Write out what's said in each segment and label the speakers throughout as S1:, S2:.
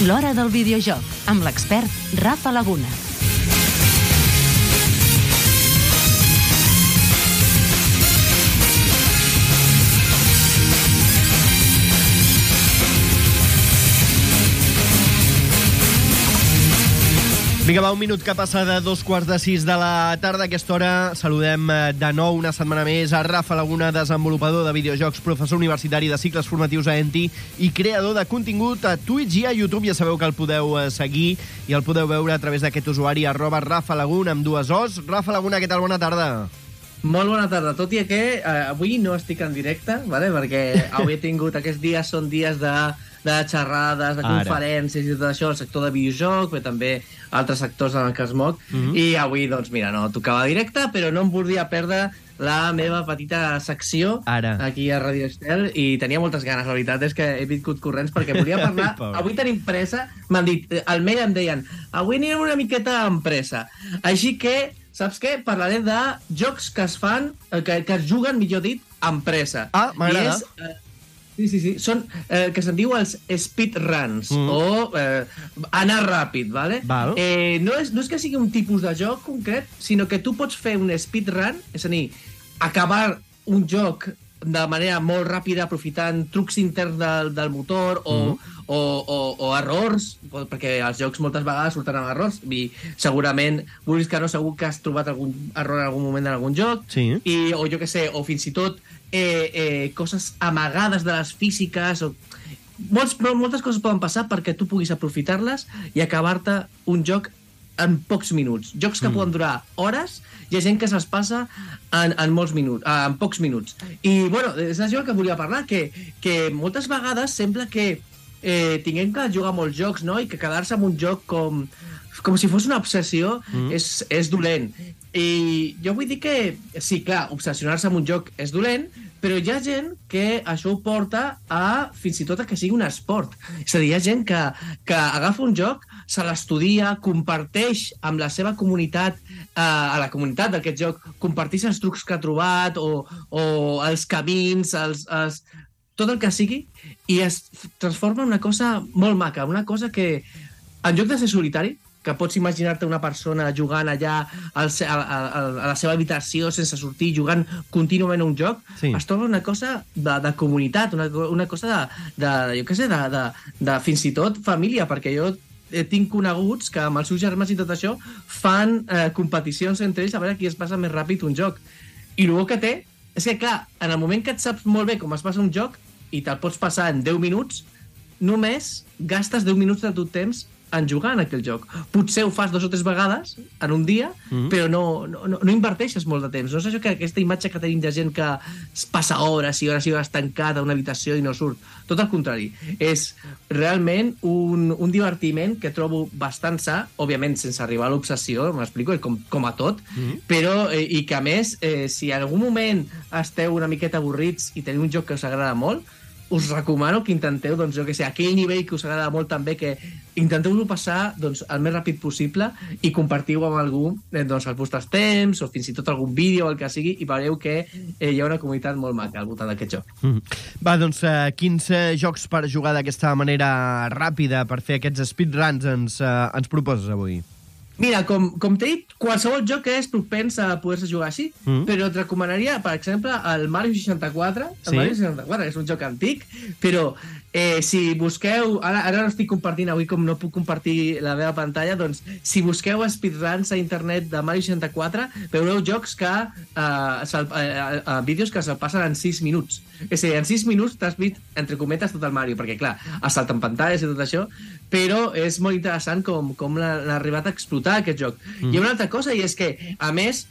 S1: L'Hora del Videojoc, amb l'expert Rafa Laguna.
S2: Vinga, va, un minut que passa de 5:15 de la tarda. A aquesta hora saludem de nou una setmana més a Rafa Laguna, desenvolupador de videojocs, professor universitari de cicles formatius a ENTI i creador de contingut a Twitch i a YouTube. Ja sabeu que el podeu seguir i el podeu veure a través d'aquest usuari @RafaLaguna amb dues Os. Rafa Laguna, què tal? Bona tarda.
S3: Molt bona tarda, tot i que avui no estic en directe, ¿vale? Perquè avui he tingut, aquests dies són dies de xerrades, de conferències i tot això, el sector de videojoc, però també altres sectors en el que es moc, i avui, doncs, mira, no tocava directe, però no em volia perdre la meva petita secció aquí a Radio Estel, i tenia moltes ganes, la veritat és que he vingut corrents perquè volia parlar, avui tenim pressa, m'han dit, al mail em deien, avui anirem una miqueta amb pressa, així que, saps què? Parlaré de jocs que es fan, que es juguen, millor dit, amb pressa.
S2: Ah, m'agrada.
S3: Sí. Són que se'n diu els speedruns, o anar ràpid, ¿vale? No és que sigui un tipus de joc concret, sinó que tu pots fer un speedrun, és a dir, acabar un joc de manera molt ràpida, aprofitant trucs interns del motor o errors, perquè els jocs moltes vegades surten amb errors, i segurament, vulguis que no, segur que has trobat algun error en algun moment en algun joc, o jo què sé, o fins i tot coses amagades de les físiques, moltes coses poden passar perquè tu puguis aprofitar-les i acabar-te un joc en pocs minuts. Jocs que poden durar hores, hi ha gent que se'ls passa en molts minuts, en pocs minuts. I, bueno, és això que volia parlar, que moltes vegades sembla que tinguem que jugar molts jocs, no? I que quedar-se en un joc com si fos una obsessió és dolent. I jo vull dir que, sí, clar, obsessionar-se amb un joc és dolent, però hi ha gent que això ho porta a fins i tot a que sigui un esport. És a dir, hi ha gent que agafa un joc, se l'estudia, comparteix amb la seva comunitat, a la comunitat d'aquest joc, comparteix els trucs que ha trobat o els camins, tot el que sigui, i es transforma en una cosa molt maca, una cosa que, en lloc de ser solitari, que pots imaginar-te una persona jugant allà a la seva habitació sense sortir, jugant contínuament a un joc, es troba una cosa de comunitat, una cosa jo què sé, de fins i tot família, perquè jo tinc coneguts que amb els seus germans i tot això fan competicions entre ells a veure qui es passa més ràpid un joc. I el que té és que, clar, en el moment que et saps molt bé com es passa un joc i te'l pots passar en 10 minuts, només gastes 10 minuts del teu temps en jugar en aquell joc. Potser ho fas 2 o 3 vegades en un dia, però no inverteixes molt de temps. No és això que aquesta imatge que tenim de gent que es passa hores i hores i hores tancada a una habitació i no surt. Tot el contrari. És realment un divertiment que trobo bastant sa, òbviament sense arribar a l'obsessió, m'explico, com a tot, però, i que a més, si en algun moment esteu una miqueta avorrits i teniu un joc que us agrada molt, us recomano que intenteu, doncs, jo què sé, aquell nivell que us agrada molt també, que intenteu-lo passar, doncs, el més ràpid possible i compartiu amb algú, doncs, els vostres temps o fins i tot algun vídeo o el que sigui, i veureu que hi ha una comunitat molt maca al voltant d'aquest joc.
S2: Va, doncs, quins jocs per jugar d'aquesta manera ràpida, per fer aquests speedruns ens proposes avui?
S3: Mira, com t'he dit, qualsevol joc és propens a poder-se jugar així, però et recomanaria, per exemple, el Mario 64. El Mario 64 és un joc antic, però si busqueu... Ara no estic compartint avui, com no puc compartir la meva pantalla, doncs si busqueu speedruns a internet de Mario 64, veureu jocs que... vídeos que se'l passen en 6 minuts. És a dir, en 6 minuts t'has vist, entre cometes, tot el Mario, perquè, clar, es salten pantalles i tot això, però és molt interessant com l'ha arribat a explotar aquest joc. Hi ha una altra cosa, i és que, a més,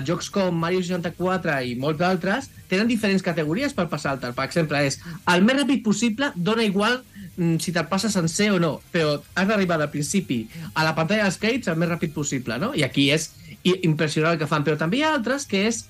S3: jocs com Mario 64 i molts d'altres tenen diferents categories per passar-te'l. Per exemple, és el més ràpid possible, dona igual si te'l passes sencer o no, però has d'arribar al principi a la pantalla dels crèdits el més ràpid possible, no? I aquí és impressionant el que fan, però també hi ha altres que és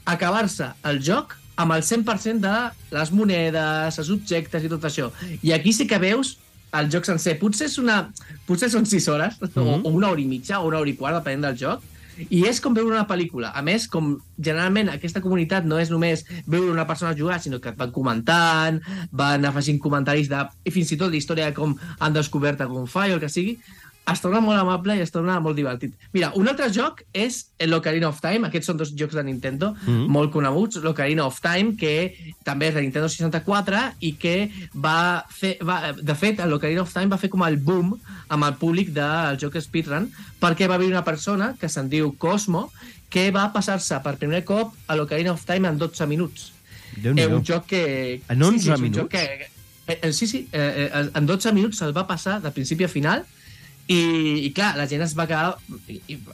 S3: acabar-se el joc amb el 100% de les monedes, els objectes i tot això. I aquí sí que veus el joc sencer. Potser són 6 hores, o una hora i mitja, o una hora i quart, depenent del joc, I és com veure una pel·lícula. A més, com generalment aquesta comunitat no és només veure una persona jugar, sinó que et van comentant, van afegint comentaris i fins i tot la història de com han descobert algun fall o el que sigui, es torna molt amable i es torna molt divertit. Mira, un altre joc és l'Ocarina of Time. Aquests són dos jocs de Nintendo molt coneguts. L'Ocarina of Time, que també és de Nintendo 64 i que de fet, l'Ocarina of Time va fer com el boom amb el públic del joc Speedrun, perquè va haver una persona que se'n diu Cosmo, que va passar-se per primer cop a l'Ocarina of Time en 12 minuts. Un joc que...
S2: En 11 minuts?
S3: Sí, en 12 minuts se'l va passar de principi a final. I clar, la gent es va quedar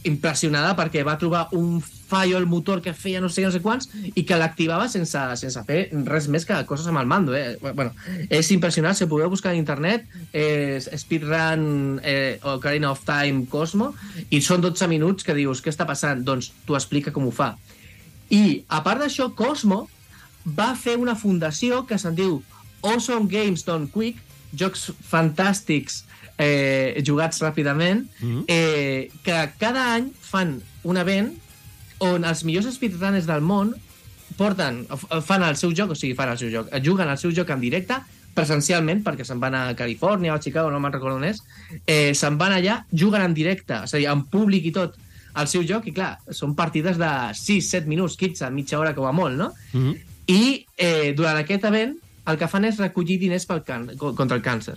S3: impressionada perquè va trobar un fallo al motor que feia no sé quants i que l'activava sense fer res més que coses amb el mando. Bueno, és impressionant, si ho podeu buscar a internet, Speedrun Ocarina of Time Cosmo, i són 12 minuts que dius, què està passant? Doncs t'ho explica com ho fa. I, a part d'això, Cosmo va fer una fundació que se'n diu Awesome Games Done Quick, jocs fantàstics jugats ràpidament, que cada any fan un event on els millors speedrunners del món fan el seu joc, juguen el seu joc en directe, presencialment, perquè se'n van a Califòrnia o a Chicago, no me'n recordo on és, se'n van allà, juguen en directe, és a dir, en públic i tot, el seu joc, i clar, són partides de 6-7 minuts, 15, mitja hora com a molt, no? I durant aquest event el que fan és recollir diners contra el càncer.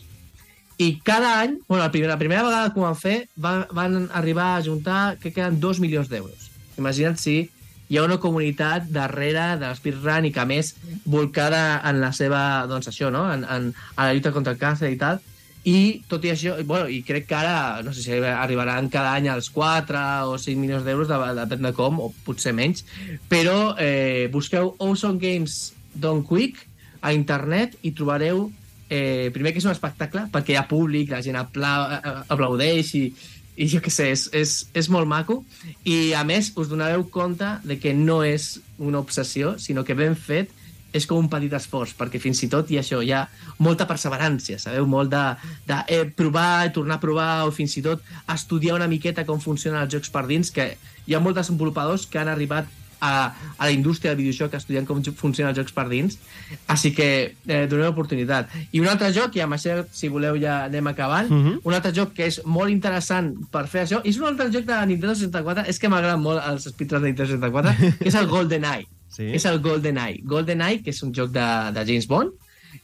S3: I cada any, la primera vegada que ho van fer, van arribar a juntar, que queden 2 milions d'euros. Imagina't si hi ha una comunitat darrere de l'speedrun i que, a més, volcada en la seva, doncs això, no?, en la lluita contra el càncer i tal. I tot i això, i crec que ara, no sé si arribaran cada any als 4 o 5 milions d'euros, depèn de com, o potser menys, però busqueu Awesome Games Done Quick a internet i trobareu primer que és un espectacle, perquè hi ha públic, la gent aplaudeix i jo què sé, és molt maco, i a més us donareu compte de que no és una obsessió, sinó que ben fet és com un petit esforç, perquè fins i tot hi ha molta perseverància, sabeu? Molt de provar, tornar a provar, o fins i tot estudiar una miqueta com funcionen els jocs per dins, que hi ha molts desenvolupadors que han arribat a la indústria del videojoc estudiant com funcionen els jocs per dins, així que doneu oportunitat. I un altre joc, i amb això, si voleu, ja anem acabant, un altre joc que és molt interessant per fer això, és un altre joc de Nintendo 64, és que m'agraden molt els speedruns de Nintendo 64, que és el GoldenEye. Sí. És el GoldenEye. GoldenEye, que és un joc de James Bond,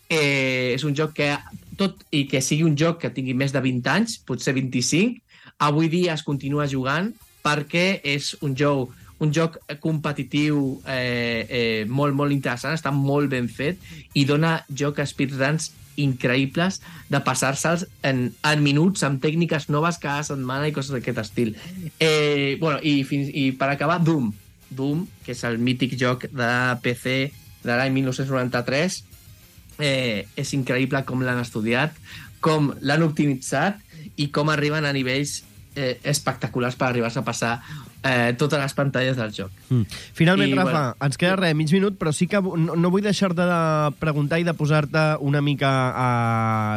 S3: és un joc que, tot i que sigui un joc que tingui més de 20 anys, potser 25, avui dia es continua jugant perquè és un joc competitiu molt, molt interessant, està molt ben fet i dona joc a speedruns increïbles de passar-se'ls en minuts amb tècniques noves cada setmana i coses d'aquest estil. I per acabar, Doom, que és el mític joc de PC de l'any 1993, és increïble com l'han estudiat, com l'han optimitzat i com arriben a nivells espectaculars per arribar-se a passar totes les pantalles del joc.
S2: Finalment, Rafa, ens queda mig minut, però sí que no vull deixar-te de preguntar i de posar-te una mica a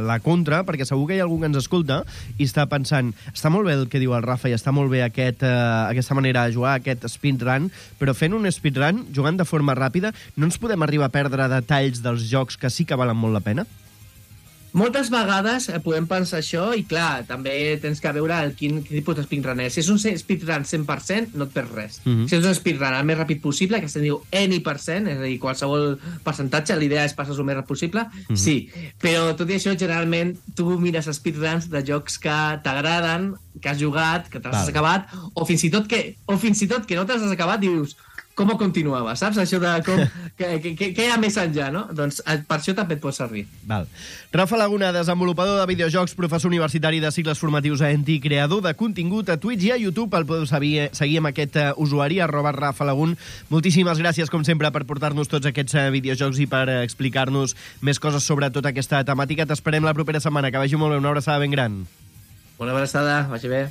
S2: la contra, perquè segur que hi ha algú que ens escolta i està pensant, està molt bé el que diu el Rafa i està molt bé aquesta manera de jugar, aquest speedrun, però fent un speedrun, jugant de forma ràpida, no ens podem arribar a perdre detalls dels jocs que sí que valen molt la pena?
S3: Moltes vegades podem pensar això i, clar, també tens que veure quin tipus de speedrunner. Si és un speedrun 100%, no et perds res. Si és un speedrun el més ràpid possible, que se'n diu any%, és a dir, qualsevol percentatge, l'idea és passar-ho el més ràpid possible, sí. Però tot i això, generalment, tu mires speedruns de jocs que t'agraden, que has jugat, que te l'has acabat, o fins i tot que no te l'has acabat i dius, com continuava, saps? Això de què hi ha més enllà, no? Doncs per això també et pot servir.
S2: Val. Rafa Laguna, desenvolupador de videojocs, professor universitari de cicles formatius a ENTI, creador de contingut a Twitch i a YouTube. El podeu seguir amb aquest usuari, @RafaLagun. Moltíssimes gràcies, com sempre, per portar-nos tots aquests videojocs i per explicar-nos més coses sobre tota aquesta temàtica. T'esperem la propera setmana. Que vagi molt bé. Una abraçada ben gran.
S3: Una abraçada. Vagi bé.